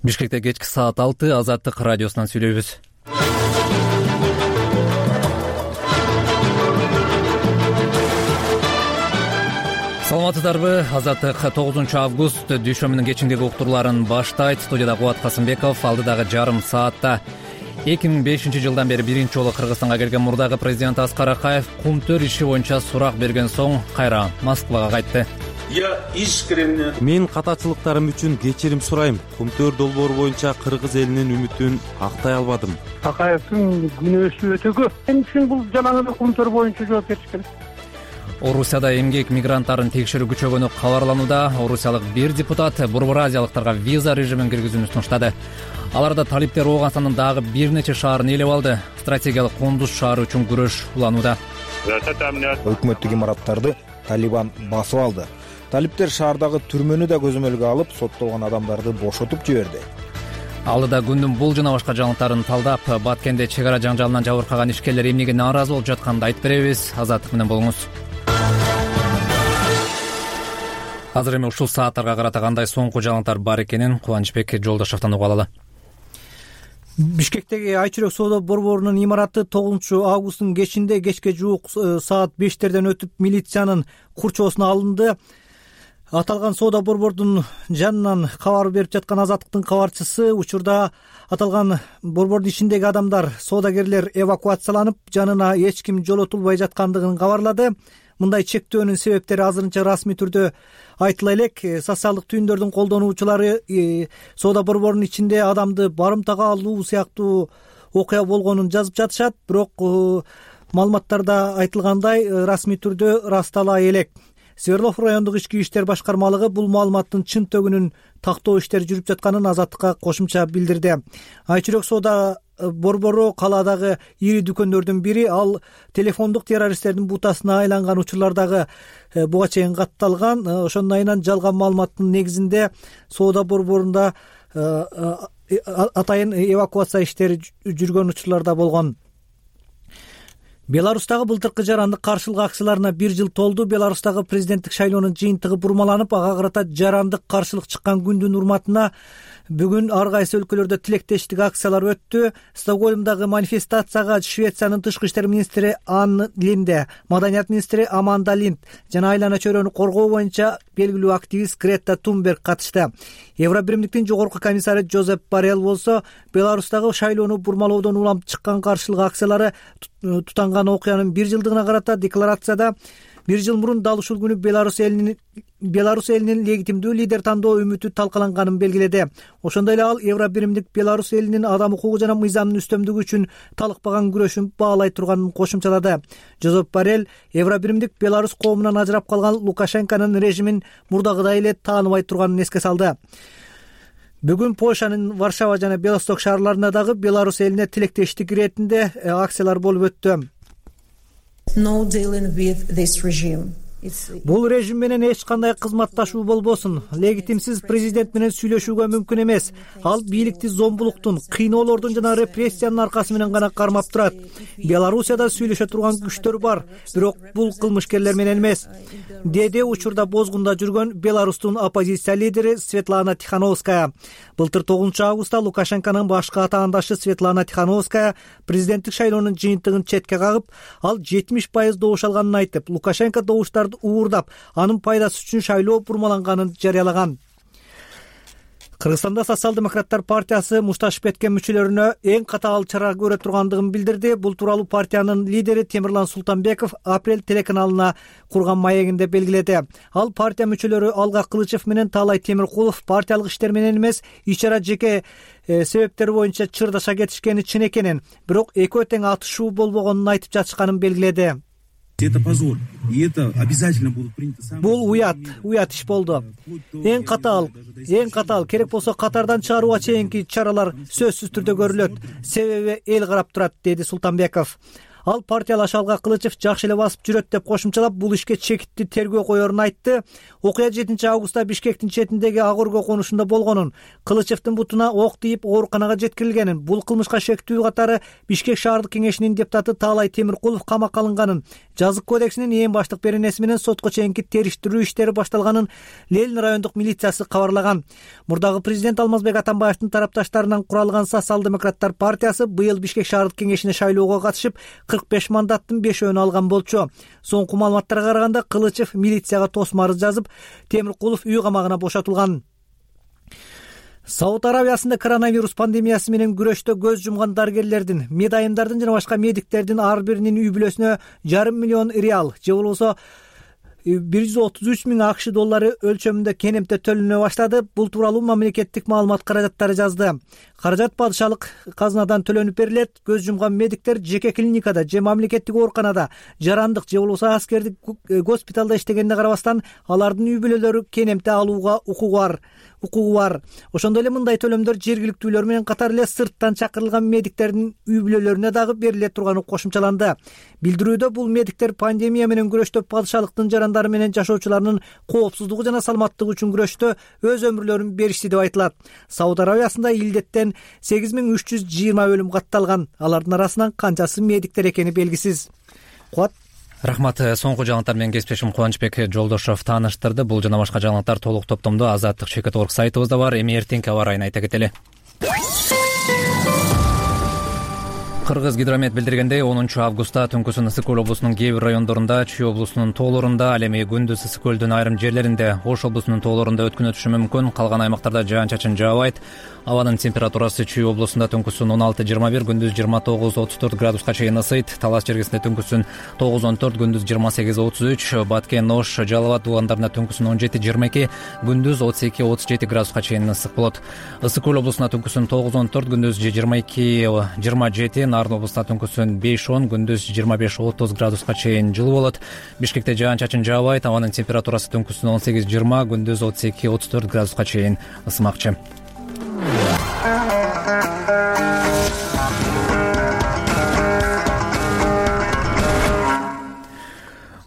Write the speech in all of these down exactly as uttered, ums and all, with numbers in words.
Бишкекте кечки саат алты Азаттык радиосунан сүйлөйбүз. Саламатсыздарбы? Азаттык тогузунчу август дүйшөмбүнүн кечиндеги уктурууларын баштайт. Студияда Кубат Касымбеков. Алдыдагы жарым саатта эки миң бешинчи жылдан бери биринчи жолу Кыргызстанга келген мурдагы президент Аскар Акаев кумтөр иши боюнча сурак берген соң кайра Москвага кайтты. Я искренне Мен катачылыктарым үчүн кечирим сурайм. Кумтөр долбоору боюнча Кыргыз элинин үмүтүн актай албадым. Акаевдин күнөөсү өтө көп. Мен үчүн бул жанагы кумтөр боюнча жооп бериш керек. Орусияда эмгек мигранттарын текшерүү күчөгөнү кабарланууда. Орусиялык бир депутат Борбор Азиялыктарга виза режимин киргизүүнү сунуштады. Аларда талиптер Ооганстандын дагы бир нече шаарын ээлеп алды. Стратегиялык Кундуз шаары үчүн күрөш уланууда. Өкмөттүк имараттарды Талибан басып алды. Талиптер шаардагы түрмөнү да көзөмөлгө алып, соттолгон адамдарды бошотуп жиберди. Алдыда күндүн бул жана башка жаңылыктарын талдап, Баткенде чек ара жаңжалынан жабыркаган ишкерлер эмнеге нааразы болуп жатканын айтып беребиз. Азаттык менен болуңуз. Азыр эми ушул сааттарга карата кандай соңку жаңылыктар бар экенин Кубанычбек Жолдошовдон угуп алалы. Бишкектеги Айчүрөк соода борборунун имараты тогузунчу августтун кечинде кечке жуук саат бештерден өтүп милициянын курчоосуна алынды. Аталган соода борбордун жанынан кабар берип жаткан Азаттыктын кабарчысы учурда аталган борбордун ичиндеги адамдар, соодагерлер эвакуацияланып, жанына эч ким жолотулбай жаткандыгын кабарлады. Мындай чектөөнүн себептери азырынча расмий түрдө айтыла элек. Социалдык түйүндөрдүн колдонуучулары соода борборунун ичинде адамды барымтага алуу сыяктуу окуя болгонун жазып жатышат, бирок маалыматтарда айтылгандай расмий түрдө растала элек. Свердлов райондук ички иштер башкармалыгы бул маалыматтын чын төгүнүн тактоо иштери жүрүп жатканын Азаттыкка кошумча билдирди. Айчүрөк соода борбору калаадагы ири дүкөндөрдүн бири, ал телефондук террористтердин бутасына айланган учурлардагы буга чейин катталган. Ошондон айынан жалган маалыматтын негизинде соода борборунда атайын эвакуация иштери жүргөн учурларда болгон. Беларустагы былтыркы жарандык каршылык акцияларына бир жыл толду. Беларустагы президенттик шайлоонун жыйынтыгы бурмаланып, ага карата жарандык каршылык чыккан күндүн урматына бүгүн ар кайсы өлкөлөрдө тилектештик акциялар өттү. Стокгольмдагы манифестацияга Швециянын тышкы иштер министри Анна Линде, маданият министри Аманда Линд жана айлана чөйрөнү коргоо боюнча белгилүү активист Грета Тунберг катышты. Евробиримдиктин жогорку комиссары Жозеп Боррелл болсо, Беларустагы шайлоону бурмалоодон улам чыккан каршылык акциялары тутанган окуянын бир жылдыгына карата декларацияда бир жыл мурун дал ушул күнү Беларусь элинин Беларусь элинин легитимдүү лидер тандоо үмүтү талкаланганын белгиледи. Ошондой эле ал Евробиримдик Беларусь элинин адам укугу жана мыйзамдын үстөмдүгү үчүн талыкпаган күрөшүн баалай турганын кошумчалады. Жозеп Боррелл Евробиримдик Беларусь коомунан ажырап калган Лукашенконун режимин мурдагыдай эле тааныбай турганын эске салды. Бүгүн Польшанын Варшава жана Белосток шаарларында дагы Беларусь элине тилектештик иретинде акциялар болуп өттү. No dealing with this regime. Бул режим менен эч кандай кызматташуу болбосун. Легитимсиз президент менен сүйлөшүүгө мүмкүн эмес. Ал бийликти зомбулуктун, кыйноолордун жана репрессиянын аркасы менен гана кармап турат. Белоруссияда сүйлөшө турган күчтөр бар, бирок бул кылмышкерлер менен эмес, деди учурда бозгунда жүргөн Беларустун оппозиция лидери Светлана Тихановская. Былтыр тогузунчу августта Лукашенконун башкы атаандашы Светлана Тихановская президенттик шайлоонун жыйынтыгын четке кагып, ал жетимиш пайыз добуш алганын айтып, Лукашенко добуштарды уурдап, анын пайдасы үчүн шайлоо бурмаланганын жарыялаган. Кыргызстанда Социал-демократтар партиясы мушташып кеткен мүчөлөрүнө эң катаал чара көрө тургандыгын билдирди. Бул тууралуу партиянын лидери Темирлан Султанбеков Апрель телеканалына курган маегинде белгиледи. Ал партия мүчөлөрү Алга Кылычев менен Таалай Темиркулов партиялык иштер менен эмес, ичара жеке э, себептер боюнча чырдаша кетишкени чын экенин, бирок экөө тең атышуу болбогонун айтып жатышканын белгиледи. Это позор, и это обязательно будут приняты самые... Бул уят, уят иш болду. Эң катаал, эң катаал, керек болсо катардан чыгарууга чейинки чаралар сөзсүз түрдө көрүлөт. Себеби эл карап турат, деди Султанбеков. Ал партиялаш Алга Кылычев жакшы эле басып жүрөт деп кошумчалап, бул ишке чекиттүү тергөө коерун айтты. Окуя жетинчи августта Бишкектин четиндеги Ак Өргө конушунда болгонун, Кылычевдин бутуна ок тийип ооруканага жеткирилгенин, бул кылмышка шектүү катары Бишкек шаардык кеңешинин депутаты Таалай Темиркулов камакка алынганын, жазык кодексинин эң баштык беренеси менен сотко чейинки териштирүү иштери башталганын Ленин райондук милициясы кабарлаган. Мурдагы президент Алмазбек Атамбаевдин тарапташтарынан куралган Социал-демократтар партиясы быйыл Бишкек шаардык кеңешине шайлоого катышып, кырк беш мандаттын бешөөнү алган болчу. Соңку маалыматтарга караганда Кылычев милицияга тосма арыз жазып, Темиркулов үй камагына бошотулган. Сауд Арабиясында коронавирус пандемиясы менен күрөштө көз жумган дарыгерлердин, медайымдардын жана башка медиктердин ар биринин үй бүлөсүнө жарым миллион реал, же болбосо бир жүз отуз үч миң акш доллары өлчөмүндө кенемте төлөнө баштады. Бул тууралуу мамлекеттик маалымат каражаттары жазды. Каражат падышалык казынадан төлөнүп берилет. Көз жумган медиктер жеке клиникада же мамлекеттик ооруканада, жарандык же болбосо аскердик госпиталда иштегенине карабастан, алардын үй бүлөлөрү кенемте алууга укугу бар. укугу бар. Ошондой эле мындай төлөмдөр жергиликтүүлөр менен катар эле сырттан чакырылган медиктердин үй бүлөлөрүнө дагы бериле турганы кошумчаланды. Билдирүүдө бул медиктер пандемия менен күрөштө падышалыктын жарандары менен жашоочуларынын коопсуздугу жана саламаттыгы үчүн күрөштө өз өмүрлөрүн беришти деп айтылат. Сауд Арабиясында илдеттен сегиз миң үч жүз жыйырма өлүм катталган. Алардын арасынан канчасы медиктер экени белгисиз. Куат Рахмат. Соңку жаңылыктар менен кесиптешим Кубанычбек Жолдошов тааныштырды. Бул жана башка жаңылыктар толук топтомдо Азаттык Чекит орг сайтыбызда бар. Эми эртеңки аба ырайын айта кетели. Кыргыз гидромет билдиргендей, онунчу августта түнкүсүн Ысык Көл облусунун кээ бир райондорунда, Чүй облусунун тоолорунда, ал эми күндүз Ысык Көлдүн айрым жерлеринде, Ош облусунун тоолорунда өткүнү өтүшү мүмкүн. Калган аймактарда жаан-чачын жаабайт. Абанын температурасы Чүй облусунда түнкүсүн он алты жыйырма бир, күндүз жыйырма тогуз отуз төрт градуска чейин ысыйт. Талас жергесинде түнкүсүн тогуз он төрт, күндүз жыйырма сегиз отуз үч, Баткен, Ош, Жалал абад дубандарында түнкүсүн он жети жыйырма эки, күндүз отуз эки отуз жети градуска чейин ысык болот. Ысык Көл облусунда түнкүсүн тогуз он төрт, күндүз жыйырма эки жыйырма жети, Нарын облусунда түнкүсүн беш он, күндүз жыйырма беш отуз градуска чейин жылуу болот. Бишкекте жаан-чачын жаабайт. Абанын температурасы түнкүсүн он сегиз жыйырма, күндүз отуз эки отуз төрт градуска чейин ысымакчы.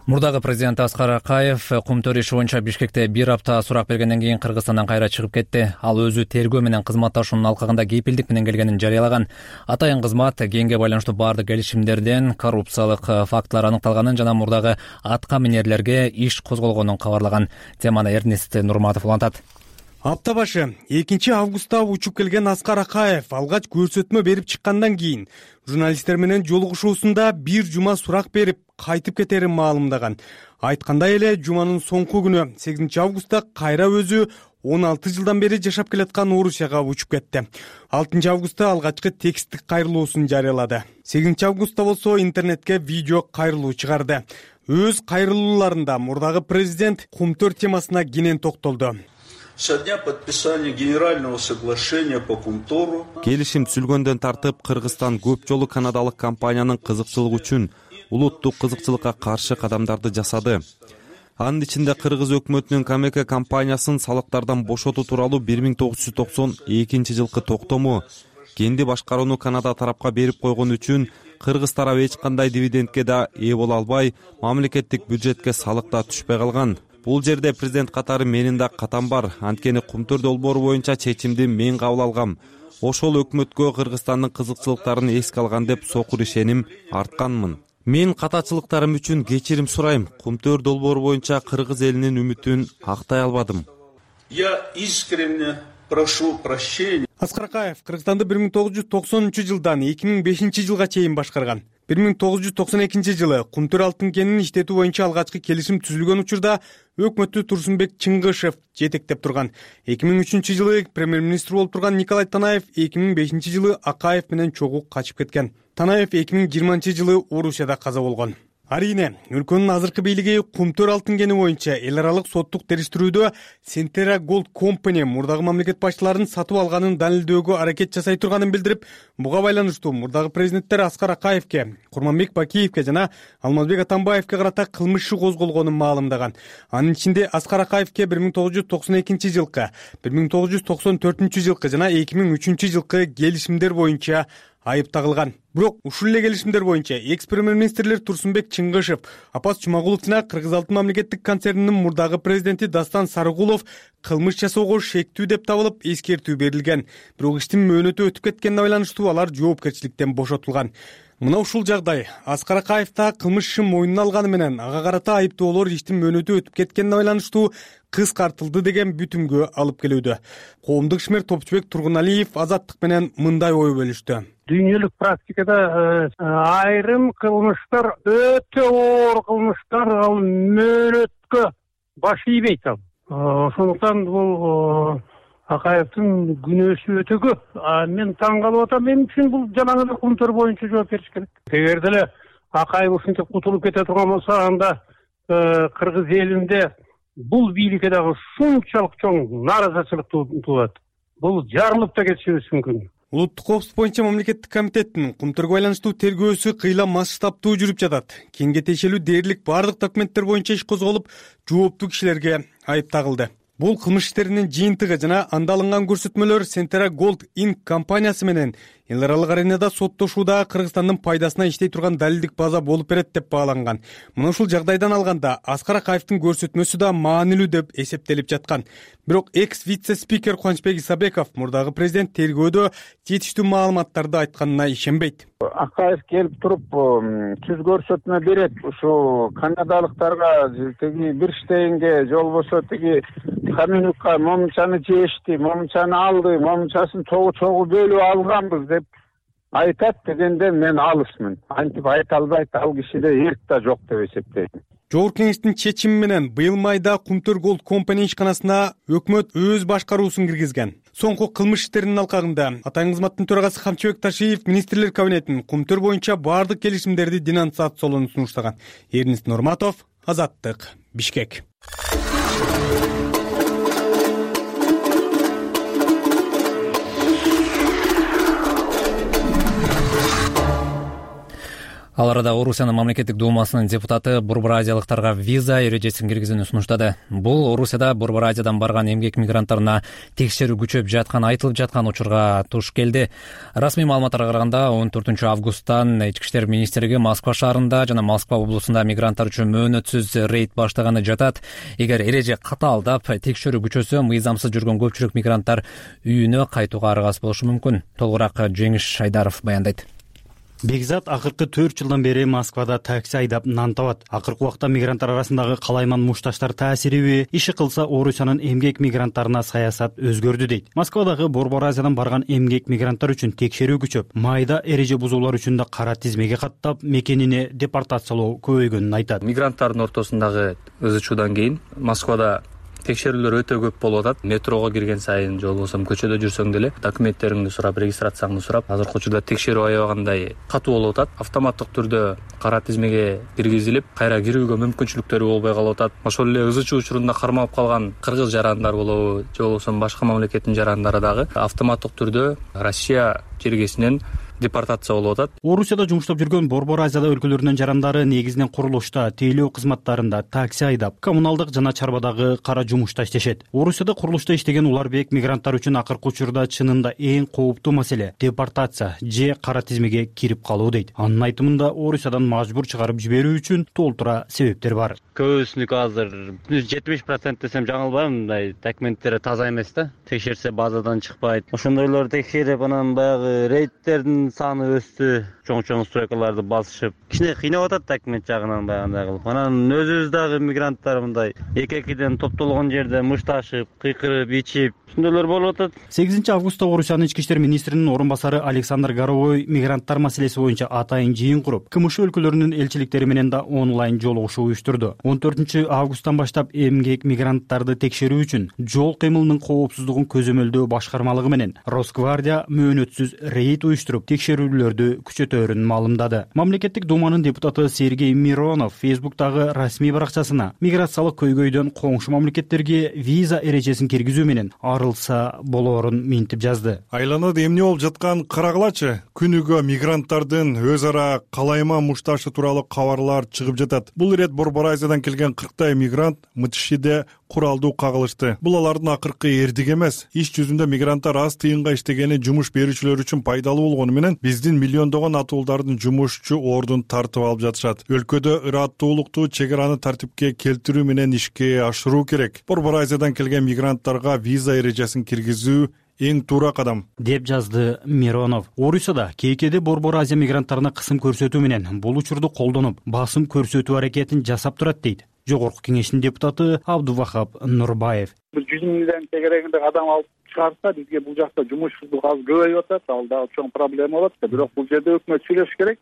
Мурдагы президент Аскар Акаев кумтөр иши боюнча Бишкекте бир апта сурак бергенден кийин Кыргызстандан кайра чыгып кетти. Ал өзү тергөө менен кызматташуунун алкагында кепилдик менен келгенин жарыялаган. Атайын кызмат кенге байланыштуу баардык келишимдерден коррупциялык фактылар аныкталганын жана мурдагы атка минерлерге иш козголгонун кабарлаган. Теманы Эрнест Нурматов улантат. Апта башы экинчи августта учуп келген Аскар Акаев алгач көрсөтмө берип чыккандан кийин журналисттер менен жолугушуусунда бир жума сурак берип кайтып кетерин маалымдаган. Айткандай эле жуманын соңку күнү сегизинчи августта кайра өзү он алты жылдан бери жашап келаткан Орусияга учуп кетти. алтынчы августта алгачкы тексттик кайрылуусун жарыялады. сегизинчи августта болсо интернетке видео кайрылуу чыгарды. Өз кайрылууларында мурдагы президент кумтөр темасына кенен токтолду. Со дня подписания генерального соглашения по Кумтору Келишим түзүлгөндөн тартып Кыргызстан көп жолу канадалык компаниянын кызыкчылыгы үчүн улуттук кызыкчылыкка каршы кадамдарды жасады. Анын ичинде Кыргыз өкмөтүнүн Камека компаниясын салыктардан бошотуу тууралуу бир миң тогуз жүз токсон экинчи жылкы токтому, кенди башкарууну Канада тарапка берип койгон үчүн Кыргыз тарабы эч кандай дивидендке да ээ боло албай, мамлекеттик бюджетке салык да түшпөй калган. Бул жерде президент катары менин да катам бар. Анткени кумтөр долбоору боюнча чечимди мен кабыл алгам. Ошол өкмөткө Кыргызстандын кызыкчылыктарын эске алган деп сокур ишеним артканмын. Мен катачылыктарым үчүн кечирим сурайм. Кумтөр долбоору боюнча Кыргыз элинин үмүтүн актай албадым. Я искренне прошу прощения. Аскар Акаев Кыргызстанды бир миң тогуз жүз токсонунчу жылдан эки миң бешинчи жылга чейин башкарган. бир миң тогуз жүз токсон экинчи жылы кумтөр алтын кенин иштетүү боюнча алгачкы келишим түзүлгөн учурда өкмөттү Турсунбек Чыңгышев жетектеп турган. эки миң үчүнчү жылы премьер-министр болуп турган Николай Танаев эки миң бешинчи жылы Акаев менен чогуу качып кеткен. Танаев эки миң жыйырманчы жылы Орусияда каза болгон. Арине, өлкөнүн азыркы бийлиги кумтөр алтын кени боюнча эл аралык соттук териштирүүдө Centera Gold Company мурдагы мамлекет башчыларын сатып алганын далилдөөгө аракет жасай турганын билдирип, буга байланыштуу мурдагы президенттер Аскар Акаевке, Курманбек Бакиевке жана Алмазбек Атамбаевке карата кылмыш иши козголгонун маалымдаган. Анын ичинде Аскар Акаевке бир миң тогуз жүз токсон экинчи жылкы, бир миң тогуз жүз токсон төртүнчү жылкы жана эки миң үчүнчү жылкы келишимдер боюнча айып тагылган. Бирок ушул эле келишимдер боюнча экс премьер-министрлер Турсунбек Чыңгышев, Апас Жумагулов жана Кыргыз Алтын мамлекеттик концернинин мурдагы президенти Дастан Сарыгулов кылмыш жасоого шектүү деп табылып эскертүү берилген. Бирок иштин мөөнөтү өтүп кеткенине байланыштуу алар жоопкерчиликтен бошотулган. Мына ушул жагдай Аскар Акаев да кылмыш ишин мойнуна алганы менен ага карата айыптоолор иштин мөөнөтү өтүп кеткенине байланыштуу кыскартылды деген бүтүмгө алып келүүдө. Коомдук ишмер Топчубек Тургуналиев Азаттык менен мындай ой бөлүштү. Дүйнөлүк практикада айрым кылмыштар өтө оор кылмыштар ал мөөнөткө баш ийбейт ал. Ошондуктан бул Акаевдин күнөөсү өтө көп. Мен таң калып атам, мен үчүн бул жанагы эле кумтөр боюнча жооп бериш керек. Эгер деле Акаев ушинтип кутулуп кете турган болсо, анда кыргыз элинде бул бийликке дагы ушунчалык чоң нааразычылык туулат. Бул жарылып да кетишибиз мүмкүн. Улуттук коопсуздук боюнча мамлекеттик комитеттин кумтөргө байланыштуу тергөөсү кыйла масштабтуу жүрүп жатат. Кеңге тиешелүү дээрлик бардык документтер боюнча иш козголуп, жооптуу кишилерге айып тагылды. Бул кылмыш иштеринин жыйынтыгы жана анда алынган көрсөтмөлөр Centera Gold Incorporated компаниясы менен эл аралык аренада соттошууда Кыргызстандын пайдасына иштей турган далилдик база болуп берет деп бааланган. Мына ушул жагдайдан алганда Аскар Акаевдин көрсөтмөсү да маанилүү деп эсептелип жаткан. Бирок экс вице-спикер Кубанычбек Исабеков мурдагы президент тергөөдө жетиштүү маалыматтарды айтканына ишенбейт. Акаев келип туруп түз көрсөтмө берет. Ушу канадалыктарга тиги Бирштейнге же болбосо тиги Каменюкка момунчаны жешти, момунчаны алды, момунчасын чогуу-чогуу бөлүп алганбыз деп айтат дегенде мен алысмын. Антип айта албайт, ал кишиде эрк да жок деп эсептейм. Жогорку кеңештин чечими менен быйыл майда Кумтөр Gold Company ишканасына өкмөт өз башкаруусун киргизген. Соңку кылмыш иштеринин алкагында атайын кызматтын төрагасы Камчыбек Ташиев министрлер кабинетинин Кумтөр боюнча бардык келишимдерди денонсациялоону сунуштаган. Эрнест Нурматов, Азаттык, Бишкек. Ал арада Орусиянын мамлекеттик думасынын депутаты Борбор азиялыктарга виза эрежесин киргизүүнү сунуштады. Бул Орусияда Борбор Азиядан барган эмгек мигранттарына текшерүү күчөп жаткан айтылып жаткан учурга туш келди. Расмий маалыматтарга караганда он төртүнчү августтан Ички иштер министрлиги Москва шаарында жана Москва облусунда мигранттар үчүн мөөнөтсүз рейд баштаганы жатат. Эгер эреже катаалдап текшерүү күчөсө, мыйзамсыз жүргөн көпчүлүк мигранттар үйүнө кайтууга аргасыз болушу мүмкүн. Толугураак Жеңиш Шайдаров баяндайт. Бекзат акыркы төрт жылдан бери Москвада такси айдап нан табат. Акыркы убакта мигранттар арасындагы калайман мушташтар таасириби, иши кылса Орусиянын эмгек мигранттарына саясат өзгөрдү дейт. Москвадагы Борбор Азиядан барган эмгек мигранттар үчүн текшерүү күчөп, майда эреже бузуулар үчүн да кара тизмеге каттап, мекенине депортациялоо көбөйгөнүн айтат. Мигранттардын ортосундагы ызы чуудан кийин Москвада текшерүүлөр өтө көп болуп атат. Метрого кирген сайын же болбосо көчөдө жүрсөң деле документтериңди сурап, регистрацияңды сурап, азыркы учурда текшерүү аябагандай катуу болуп атат. Автоматтык түрдө кара тизмеге киргизилип, кайра кирүүгө мүмкүнчүлүктөрү болбой калып атат. Ошол эле ызы чуу учурунда кармалып калган кыргыз жарандар болобу, же болбосо башка мамлекеттин жарандары дагы автоматтык түрдө Россия жергесинен депортация болуп атат. Орусияда жумуштап жүргөн Борбор Азия өлкөлөрүнүн жарандары негизинен курулушта, тейлөө кызматтарында, такси айдап, коммуналдык жана чарбадагы кара жумушта иштешет. Орусияда курулушта иштеген уларбек мигранттар үчүн акыркы учурда чынында эң кооптуу маселе детпортация же кара тизмеге кирип калуу дейт. Анын айтымында Орусиядан мажбур чыгарып жиберүү үчүн толтура себептер бар. Көбүсүнүкү азыр жетимиш процент десем жаңылбайм, мындай документтери таза эмес да. Текшерсе базадан чыкпайт. Ошондойлорду текшерип, анан баягы рейдтердин саны өстү, чоң-чоң стройкаларды басышып, кичине кыйнап атат документ жагынан баягындай кылып. Анан өзүбүз дагы мигранттар мындай эки-экиден топтолгон жерде мушташып, кыйкырып, ичип, ошондойлор болуп атат. сегизинчи августта Орусиянын ички иштер министринин орун басары Александр Горовой мигранттар маселеси боюнча атайын жыйын куруп, КМШ өлкөлөрүнүн элчиликтери менен да онлайн жолугушуу уюштурду. он төртүнчү августтан баштап эмгек мигранттарды текшерүү үчүн жол кыймылынын коопсуздугун көзөмөлдөө башкармалыгы менен Росгвардия мөөнөтсүз рейд уюштуруп, текшерүүлөрдү күчөтөөрүн маалымдады. Мамлекеттик думанын депутаты Сергей Миронов Фейсбуктагы расмий баракчасына миграциялык көйгөйдөн коңшу мамлекеттерге виза эрежесин киргизүү менен арылса болоорун минтип жазды. Айланада эмне болуп жаткан карагылачы. Күнүгө мигранттардын өз ара калайма мушташы тууралуу кабарлар чыгып жатат. Бул ирет Борбор Азиядан келген кырктай мигрант МТШде куралдуу кагылышты. Бул алардын акыркы эрдиги эмес. Иш жүзүндө мигранттар аз тыйынга иштегени жумуш берүүчүлөр үчүн пайдалуу болгону менен биздин миллиондогон атуулдардын жумушчу ордун тартып алып жатышат. Өлкөдө ыраттуулукту чек араны тартипке келтирүү менен ишке ашыруу керек. Борбор Азиядан келген мигранттарга виза эрежесин киргизүү эң туура кадам, деп жазды Миронов. Орусияда кейкеде Борбор Азия мигранттарына кысым көрсөтүү менен бул учурду колдонуп, басым көрсөтүү аракетин жасап турат дейт Жогорку Кеңештин депутаты Абдувахап Нурбаев. Бир жүз миңден тегерегинде адам алып чыгарса, бизге бул жакта жумушсуздук аз көбөйүп атат, ал дагы чоң проблема болот. Бирок бул жерде өкмөт сүйлөшүш керек.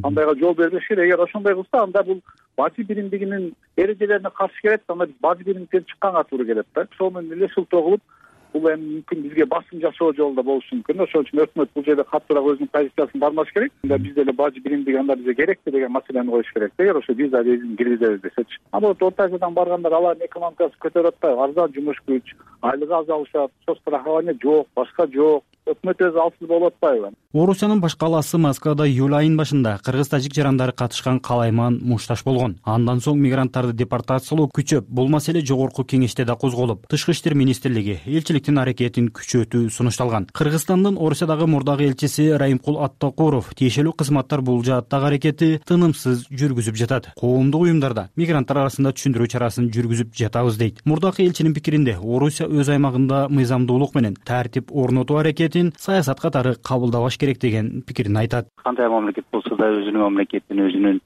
Андайга жол бербеш керек. Эгер ошондой кылса, анда бул бажы биримдигинин эрежелерине каршы келет, анда бажы биримдиктен чыкканга туура келет да. Ошол менен эле шылтоо кылып, бул эми мүмкүн бизге басым жасоо жолунда болушу мүмкүн. Ошол үчүн өкмөт бул жерде каттуураак өзүнүн позициясын бармаш керек. Анда бизде эле бажы биримдиги анда бизге керекпи деген маселени коюш керек. Эгер ошо виза режимин киргизебиз десечи. А вот Орто Азиядан баргандар алардын экономикасы көтөрүп атпайбы? Арзан жумуш күч, айлыгы аз алышат, страхование жок, башка жок. Өкмөт өзү алсыз болуп атпайбы? Орусиянын баш калаасы Москвада июль айынын башында кыргыз-тажик жарандары катышкан калайман мушташ болгон. Андан соң мигранттарды депортациялоо күчөп, бул маселе Жогорку Кеңеште да козголуп, Тышкы иштер министрлиги элчиликтин аракетин күчөтүү сунушталган. Кыргызстандын Орусиядагы мурдагы элчиси Райымкул Аттакуров тиешелүү кызматтар бул жааттагы аракетти тынымсыз жүргүзүп жатат. Коомдук уюмдарда мигранттар арасында түшүндүрүү чарасын жүргүзүп жатабыз дейт. Мурдагы элчинин пикиринде, Орусия өз аймагында мыйзамдуулук менен тартип орнотуу аракетин саясат катары кабылдабаш керек деген пикирин айтат. Кандай мамлекет болсо да өзүнүн мамлекетин, өзүнүн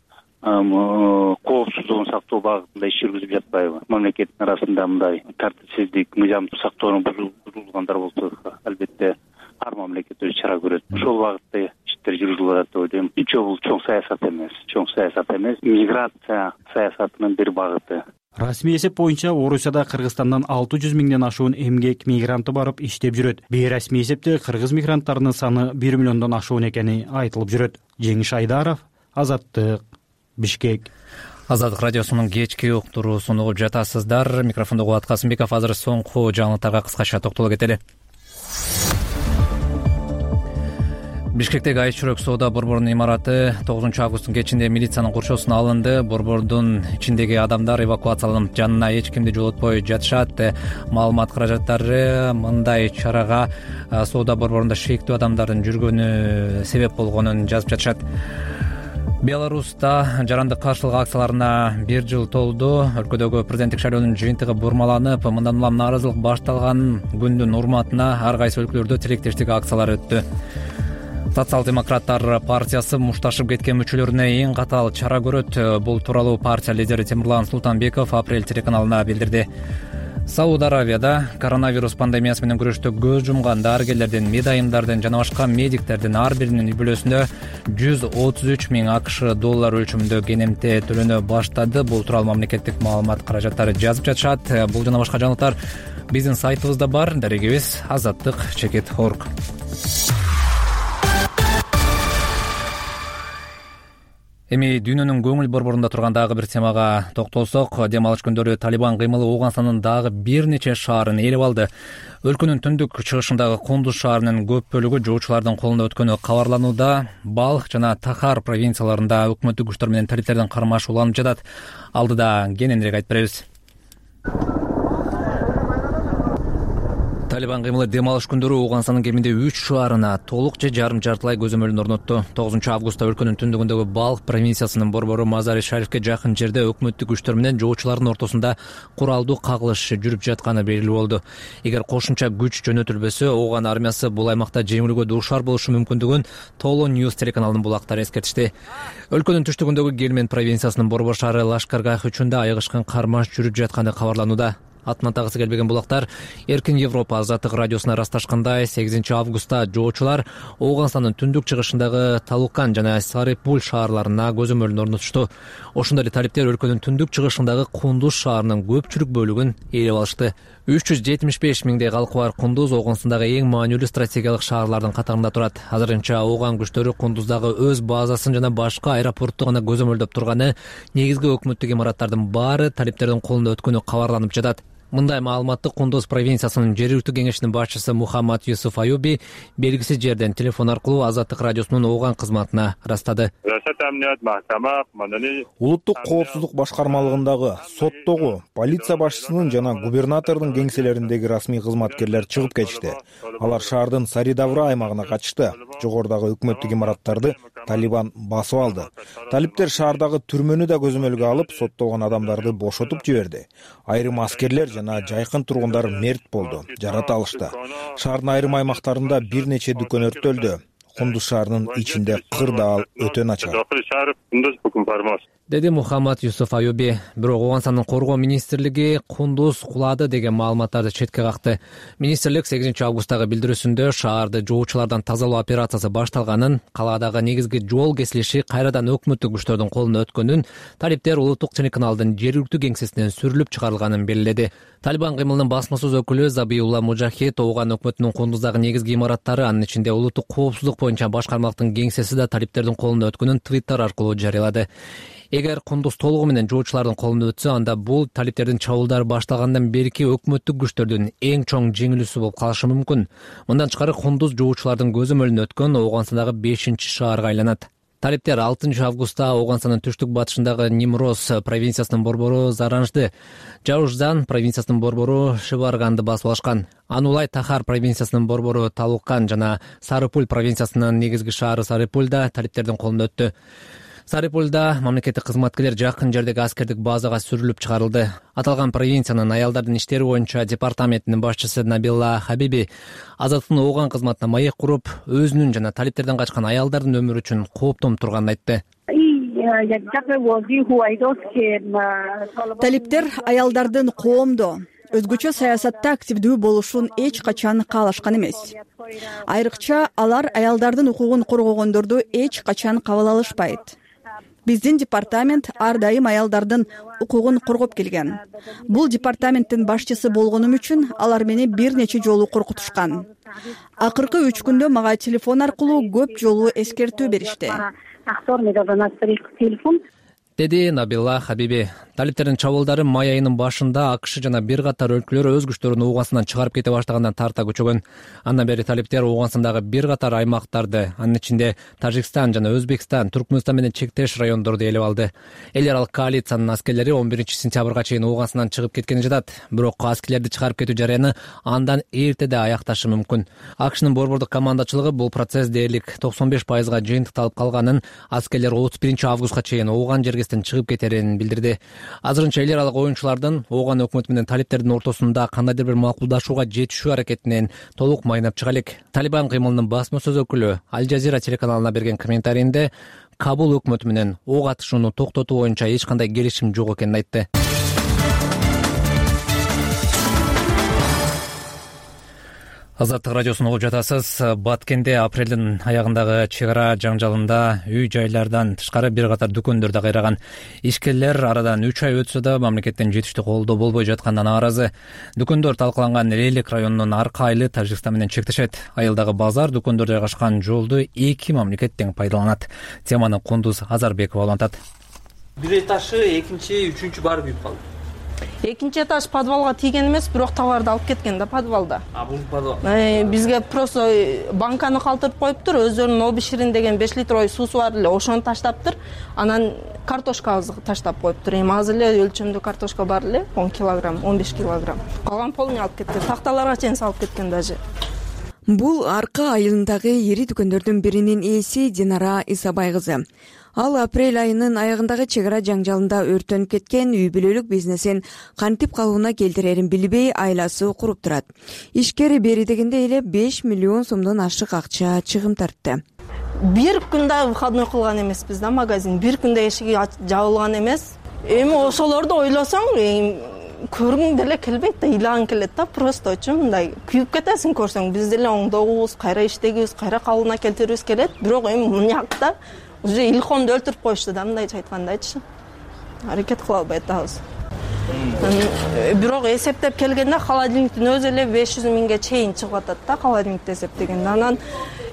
коопсуздугун сактоо багытында иш жүргүзүп жатпайбы? Мамлекеттин арасында мындай тартипсиздик, мыйзамды сактоонун бузулгандар болсо, албетте ар мамлекет өз чара көрөт. Ошол багытта иштер жүргүзүлүп атат деп ойлойм. Үчөө бул чоң саясат эмес, чоң саясат эмес, миграция саясатынын бир багыты. Расмий эсеп боюнча Орусияда Кыргызстандан алты жүз миңден ашуун эмгек мигранты барып иштеп жүрөт. Бейрасмий эсепте кыргыз мигранттарынын саны бир миллиондон ашуун экени айтылып жүрөт. Жеңиш Айдаров, Азаттык, Бишкек. Азаттык радиосунун кечки уктуруусун угуп жатасыздар. Микрофондо Кубат Касымбеков. Азыр соңку жаңылыктарга кыскача токтоло кетели. Бишкектеги Айчүрөк соода борборунун имараты тогузунчу августтун кечинде милициянын куршоосуна алынды. Борбордун ичиндеги адамдар эвакуацияланып, жанына эч кимди жолотпой жатышат. Маалымат каражаттары мындай чарага соода борборунда шектүү адамдардын жүргөнү себеп болгонун жазып жатышат. Беларуста жарандык каршылык акцияларына бир жыл толду. Өлкөдөгү президенттик шайлоонун жыйынтыгы бурмаланып, мындан улам нааразылык башталган күндүн урматына ар кайсы өлкөлөрдө тилектештик акциялары өттү. Социал-демократтар партиясы мушташып кеткен мүчөлөрүнө эң катаал чара көрөт. Бул тууралуу партия лидери Темирлан Султанбеков Апрель телеканалына билдирди. Сауд Аравияда коронавирус пандемиясы менен күрөштө көз жумган дарыгерлердин, медайымдардын жана башка медиктердин ар биринин үй бүлөсүнө жүз отуз үч миң акш доллар өлчөмүндө кенемте төлөнө баштады. Бул тууралуу мамлекеттик маалымат каражаттары жазып жатышат. Бул жана башка жаңылыктар биздин сайтыбызда бар. Дарегибиз азаттык чекит точка орг. Эми дүйнөнүн көңүл борборунда турган дагы бир темага токтолсок, дем алыш күндөрү Талибан кыймылы Ооганстандын дагы бир нече шаарын ээлеп алды. Өлкөнүн түндүк чыгышындагы Кундуз шаарынын көп бөлүгү жоочулардын колунда өткөнү кабарланууда. Балх жана Тахар провинцияларында өкмөттүк күчтөр менен талиптердин кармашы уланып жатат. Алдыда кененирээк айтып беребиз. Талибан кыймылы дем алыш күндөрү Ооганстандын кеминде үч шаарына толук же жарым жартылай көзөмөлүн орнотту. тогузунчу августта өлкөнүн түндүгүндөгү Балх провинциясынын борбору Мазари Шарифке жакын жерде өкмөттүк күчтөр менен жоочулардын ортосунда куралдуу кагылыш жүрүп жатканы белгилүү болду. Эгер кошумча күч жөнөтүлбөсө, Ооган армиясы бул аймакта жеңилүүгө дуушар болушу мүмкүндүгүн Толо Ньюс телеканалынын булактары эскертишти. Өлкөнүн түштүгүндөгү Гельмен провинциясынын борбор шаары Лашкаргах үчүндө айыгышкан кармаш жүрүп жатканы кабарланууда. Атын атагысы келбеген булактар Эркин Европа Азаттык радиосуна ырасташкандай, сегизинчи августта жоочулар Ооганстандын түндүк чыгышындагы Талукан жана Сарипул шаарларына көзөмөлүн орнотушту. Ошондой эле талиптер өлкөнүн түндүк чыгышындагы Кундуз шаарынын көпчүлүк бөлүгүн ээлеп алышты. үч жүз жетимиш беш миңдей калкы бар Кундуз Ооганстандагы эң маанилүү стратегиялык шаарлардын катарында турат. Азырынча Ооган күчтөрү Кундуздагы өз базасын жана башка аэропортту гана көзөмөлдөп турганы, негизги өкмөттүк имараттардын баары талиптердин колунда өткөнү кабарланып жатат. мындай маалыматты Кундуз провинциясынын жергиликтүү кеңешинин башчысы Мухаммад Юсуф Аюби белгисиз жерден телефон аркылуу Азаттык радиосунун Ооган кызматына ырастады. Улуттук коопсуздук башкармалыгындагы соттогу полиция башчысынын жана губернатордун кеңселериндеги расмий кызматкерлер чыгып кетишти. Алар шаардын Саридавра аймагына качышты. Жогорудагы өкмөттүк имараттарды Талибан басып алды. Талиптер шаардагы түрмөнү да көзөмөлгө алып, соттолгон адамдарды бошотуп жиберди. Айрым аскерлер жана жайкын тургундар мерт болду, жарата алышты. Шаардын айрым аймактарында бир нече дүкөн өрттөлдү. Кундуз шаарынын ичинде кырдаал өтө начар, деди Мухаммад Юсуф Аюби. Бирок Оогансандын коргоо министрлиги Кундуз кулады деген маалыматтарды четке какты. Министрлик сегизинчи августтагы билдирүүсүндө шаарды жоочулардан тазалоо операциясы башталганын, калаадагы негизги жол кесилиши кайрадан өкмөттүк күчтөрдүн колуна өткөнүн, талиптер улуттук телеканалдын жергиликтүү кеңсесинен сүрүлүп чыгарылганын белгиледи. Талибан кыймылынын басма сөз өкүлү Забиулла Мужахид Ооган өкмөтүнүн Кундуздагы негизги имараттары, анын ичинде улуттук коопсуздук боюнча башкармалыктын кеңсеси да талиптердин колуна өткөнүн Твиттер аркылуу жарыялады. Эгер Кундуз толугу менен жоочулардын колуна өтсө, анда бул талиптердин чабуулдары башталгандан берки өкмөттүк күчтөрдүн эң чоң жеңилүүсү болуп калышы мүмкүн. Мындан тышкары Кундуз жоочулардын көзөмөлүнө өткөн Оогансандагы бешинчи шаарга айланат. Талиптер алтынчы августта Оогансандын түштүк батышындагы Нимрос провинциясынын борбору Заранжды, Жаужзан провинциясынын борбору Шиварганды басып алышкан. Анулай Тахар провинциясынын борбору Талуккан жана Сарыпуль провинциясынын негизги шаары Сарыпуль да талиптердин колуна өттү. Сарыпульда мамлекеттик кызматкерлер жакын жердеги аскердик базага сүрүлүп чыгарылды. Аталган провинциянын аялдардын иштери боюнча департаментинин башчысы Набилла Хабиби Азаттыктын Ооган кызматына маек куруп, өзүнүн жана талиптерден качкан аялдардын өмүрү үчүн кооптонуп турганын айтты. Талиптер аялдардын коомдо өзгөчө саясатта активдүү болушун эч качан каалашкан эмес. Айрыкча алар аялдардын укугун коргогондорду эч качан кабыл алышпайт. Биздин департамент ар дайым аялдардын укугун коргоп келген. Бул департаменттин башчысы болгонум үчүн алар мени бир нече жолу коркутушкан. Акыркы үч күндө мага телефон аркылуу көп жолу эскертүү беришти, деди Набилла Хабиби. Талиптердин чабуулдары май айынын башында АКШ жана бир катар өлкөлөр өз күчтөрүн Оогансандан чыгарып кете баштагандан тарта күчөгөн. Андан бери талиптер Оогансандагы бир катар аймактарды, анын ичинде Тажикстан жана Өзбекстан, Туркмөнстан менен чектеш райондорду ээлеп алды. Эл аралык коалициянын аскерлери он биринчи сентябрга чейин Оогансандан чыгып кеткени жатат. Бирок аскерлерди чыгарып кетүү жарыяны андан эртеде аякташы мүмкүн. АКШнын борбордук командачылыгы бул процесс дээрлик токсон беш пайызга жыйынтыкталып калганын, аскерлер отуз биринчи августка чейин Ооган жергесинен чыгып кетерин билдирди. Азырынча эл аралык оюнчулардын Ооган өкмөтү менен талиптердин ортосунда кандайдыр бир макулдашууга жетишүү аракетинен толук майнап чыга элек. Талибан кыймылынын басма сөз өкүлү Аль Жазира телеканалына берген комментарийинде Кабул өкмөтү менен ок атышууну токтотуу боюнча эч кандай келишим жок экенин айтты. Азаттык радиосуну угуп жатасыз. Баткенде апрелдин аягындагы чек ара жаңжалында үй жайлардан тышкары бир катар дүкөндөр да кыйраган. Ишкерлер арадан үч ай өтсө да мамлекеттен жетиштүү колдоо болбой жаткандан нааразы. Дүкөндөр талкаланган Лейлек районунун арка айылы Тажикстан менен чектешет. Айылдагы базар, дүкөндөр жайгашкан жолду эки мамлекет тең пайдаланат. Теманы Кундуз Азарбекова улантат. Бир этажы, экинчи, үчүнчү баары күйүп калды. Экинчи этаж подвалга тийген эмес, бирок товарды алып кеткен да подвалда. А бул подвал? Бизге просто банканы калтырып коюптур, өздөрүнүн обиширин деген беш литровый суусу бар эле, ошону таштаптыр. Анан картошкабызды таштап коюптур. Эми азыр эле өлчөмдүү картошка бар эле, он килограмм, он беш килограмм. Калган полный алып кеткен, такталарга чейин салып кеткен даже. Бул арка айылындагы ири дүкөндөрдүн биринин ээси Динара Исабай кызы. Ал апрель айынын аягындагы чек ара жаңжалында өртөнүп кеткен үй бүлөлүк бизнесин кантип калыбына келтирерин билбей айласы куруп турат. Ишкери бери дегенде эле беш миллион сомдон ашык акча чыгым тартты. Бир күндө выходной кылган эмеспиз да магазин, бир күндө эшиги жабылган эмес. Эми ошолорду ойлосоң, көргүң деле келбейт да, ыйлагың келет да, просто өчүн мындай күйүп кетесиң көрсөң. Биз деле оңдогубуз, кайра иштегибиз, кайра калыбына келтирибиз келет, бирок эми мынакта уже илхомду өлтүрүп коюшту да, мындайча айткандайчы. Аракет кыла албай атабыз. Бирок эсептеп келгенде холодильниктин өзү эле беш жүз миңге чейин чыгып атат да, холодильникти эсептегенде. Анан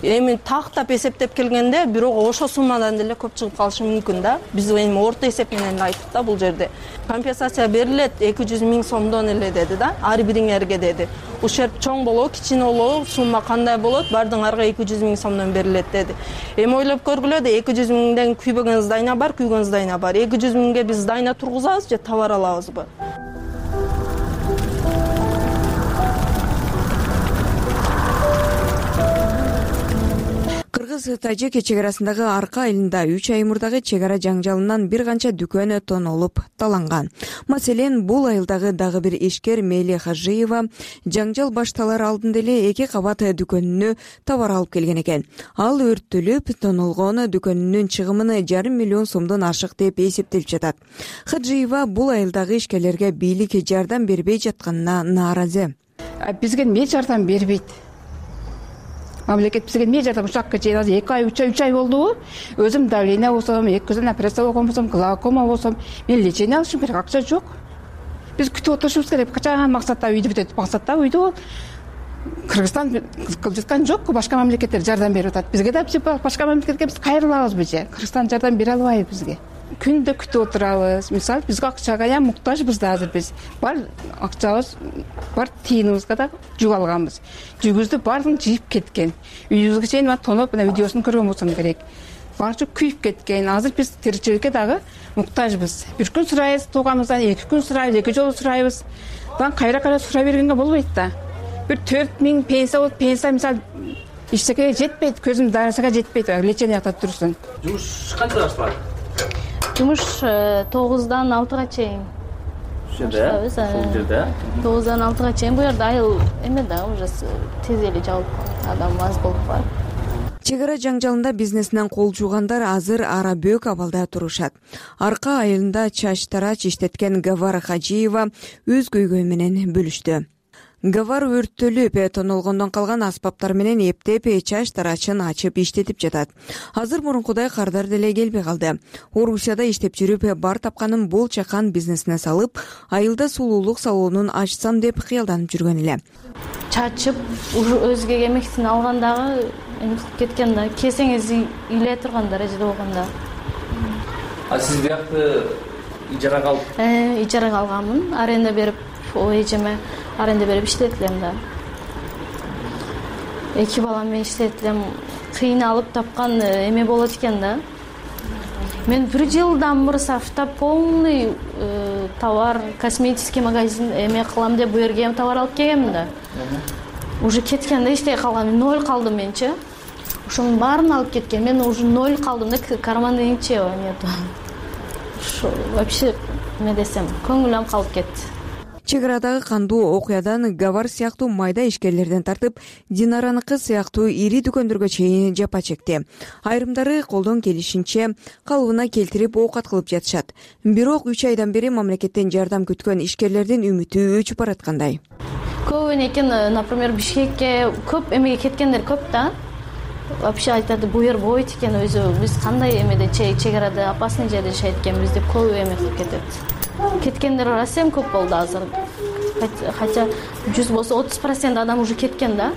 эми тактап эсептеп келгенде бирок ошол суммадан деле көп чыгып калышы мүмкүн да. Биз эми орто эсеп менен айттык да, бул жерде компенсация берилет эки жүз миң сомдон эле деди да, ар бириңерге деди. Ушерп чоң болобу, кичине болобу, сумма кандай болот, бардыңарга эки жүз миң сомдон берилет деди. Эми ойлоп көргүлө да, эки жүз миңден күйбөгөн здания бар, күйгөн здания бар. эки жүз миңге биз здания тургузабыз же товар алабызбы? Кыргыз-Тажик чек арасындагы Арка айылында үч ай мурдагы чек ара жаңжалынан бир канча дүкөн тонолуп таланган. Маселен, бул айылдагы дагы бир ишкер Мели Хажиева жаңжал башталар алдында эле эки кабат дүкөнүнө товар алып келген экен. Ал өрттөлүп, тонолгон дүкөнүнүн чыгымын жарым миллион сомдон ашык деп эсептелип жатат. Хажиева бул айылдагы ишкерлерге бийлик жардам бербей жатканына нааразы. Бизге эмне жардам бербейт? Мамлекет бизге эмне жардам? Ушакка чейин азыр эки ай, үч ай, үч ай болдубу? Өзүм давление болсом, эки көздөн операция болгон болсом, глаукома болсом, мен лечение алышым керек, акча жок. Биз күтүп отурушубуз керек. Качан максатта үйдү бүтөт, максатта үйдү бол. Кыргызстан кылып жаткан жокпу? Башка мамлекеттер жардам берип атат. Бизге да башка мамлекетке биз кайрылабызбы же? Кыргызстан жардам бере албайбы бизге? Күндө күтүп отурабыз. Мисалы, бизге акчага я муктажбыз да азыр биз. Бар акчабыз, бар тиыныбызга да жугалганбыз. Жүгүздү баардыгын жыйып кеткен. Үйүбүзгө чейин тоноп, мына видеосун көргөн болсом керек. Баары күйүп кеткен. Азыр биз тиричиликке дагы муктажбыз. Бир күн сурайбыз тууганыбыздан, эки күн сурайбыз, эки жолу сурайбыз. Бан кайра-кайра сурай бергенге болбойт да. Бир төрт миң пенсия болуп, пенсия мисалы иштекеге жетпейт, көзүм дарысага жетпейт, лечение жакта турсун. Жумуш канча башталат? Жумуш тогуздан алтыга чейин. Ушул жерде? Ушул жерде? тогуздан алтыга чейин бу жерде айыл эме да, уже тез эле жабылып калат. Адам аз болуп калат. Чек ара жаңжалында бизнесинен кол жуугандар азыр ара бөөк абалда турушат. Арка айылында чач тарач иштеткен Гавара Хажиева өз көйгөй менен бөлүштү. Гавар өрттөлүп, тонолгондон калган аспаптар менен эптеп чач тарачын ачып иштетип жатат. Азыр мурункудай кардар деле келбей калды. Орусияда иштеп жүрүп, бар тапканын бул чакан бизнесине салып, айылда сулуулук салонун ачсам деп кыялданып жүргөн эле. Чачып, өзгө эмектин алгандагы эмип кеткен да, кесеңиз иле турган даражада болгондо. А сиз биякты ижарага алып? Э, ижарага алганмын, аренда берип, эжеме аренда берип иштетилем да. Эки балам менен иштетилем. Кыйналып тапкан эме болот экен да. Мен бир жылдан мурсафта полный товар, косметический магазин эме кылам деп бу жерге товар алып келгенмин да. Уже кеткенде иштей калгам, ноль калдым менчи. Ошонун баарын алып кеткен. Мен уже ноль калдым да, карманда ничего нету. Вообще, эме десем, көңүлүм калып кетти. Чек арадагы кандуу окуядан Гавар сыяктуу майда ишкерлерден тартып, Динараныкы сыяктуу ири дүкөндөргө чейин жапа чекти. Айрымдары колдон келишинче калыбына келтирип оокат кылып жатышат. Бирок үч айдан бери мамлекеттен жардам күткөн ишкерлердин үмүтү өчүп бараткандай. Көп экен, например, Бишкекке көп эмеге кеткендер көп да. Вообще айтады, бу жер бойт экен, өзү биз кандай эмеде чек арада опасный жерде жашайт экенбиз деп көп эме кылып кетет. Кеткендер расем көп болду азыр. Хотя жүз болсо отуз процент адам уже кеткен да.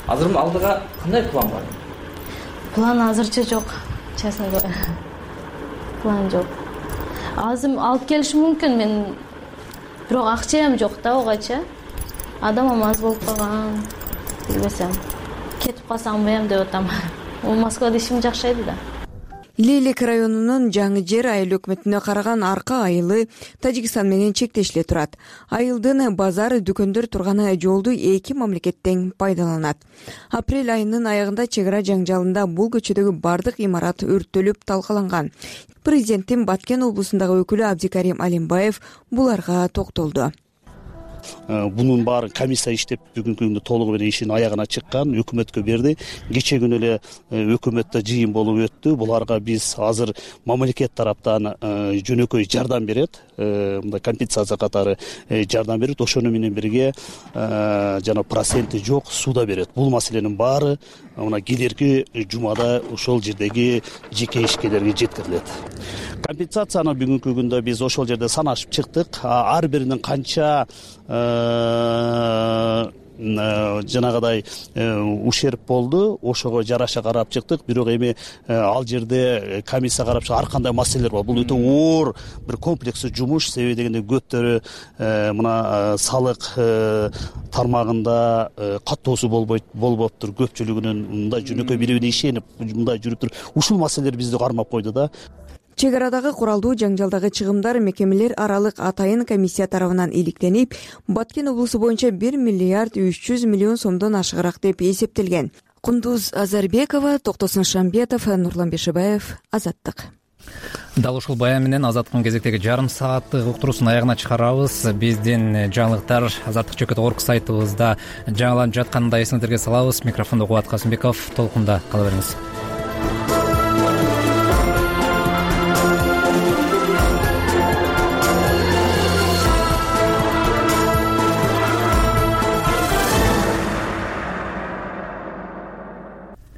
Азыр алдыга кандай план бар? План азырча жок, честно говоря. План жок. Азыр алып келишим мүмкүн, мен бирок акчам жок да огача. Адамым аз болуп калган. Билбесем, кетип калсам бем деп атам. Ол Москвада ишим жакшайды да. Лейлек районунун Жаңы жер айыл өкмөтүнө караган Арка айылы Тажикстан менен чектешиле турат. Айылдын базар, дүкөндөр турганы жолду эки мамлекет тең пайдаланат. Апрель айынын аягында чек ара жаңжалында бул көчөдөгү бардык имарат өрттөлүп талкаланган. Президенттин Баткен облусундагы өкүлү Абдикарим Алимбаев буларга токтолду. Бунун баары комиссия иштеп бүгүнкү күндө толугу менен ишин аягына чыккан, өкмөткө берди. Кече күнү эле өкмөттө жыйын болуп өттү. Буларга биз азыр мамлекет тараптан жөнөкөй жардам берет, мындай компенсация катары жардам берет. Ошону менен бирге жана проценти жок сууда берет. Бул маселенин баары мына келерки жумада ошол жердеги жеке ишкерлерге жеткирилет. Компенсацияны бүгүнкү күндө биз ошол жерде санашып чыктык. Ар биринин канча жанагыдай ущерб болду, ошого жараша карап чыктык. Бирок эми ал жерде комиссия карап чыккан ар кандай маселелер бар. Бул өтө оор бир комплекстүү жумуш. Себеби дегенде көптөрү мына салык тармагында каттоосу болбойт болбоптур. Көпчүлүгүнүн мындай жөнөкөй бири бирине ишенип мындай жүрүптүр. Ушул маселелер бизди кармап койду да. Чек арадагы куралдуу жаңжалдагы чыгымдар мекемелер аралык атайын комиссия тарабынан иликтенип, Баткен облусу боюнча бир миллиард үч жүз миллион сомдон ашыгыраак деп эсептелген. Кундуз Азарбекова, Токтосун Шамбетов, Нурлан Бешебаев, Азаттык. Дал ушул баян менен Азаттыктын кезектеги жарым сааттык уктуруусун аягына чыгарабыз. Биздин жаңылыктар Азаттык чекит орг сайтыбызда жаңыланып жатканын да эсиңиздерге салабыз. Микрофондо Кубат Касымбеков. Толкунда кала бериңиз.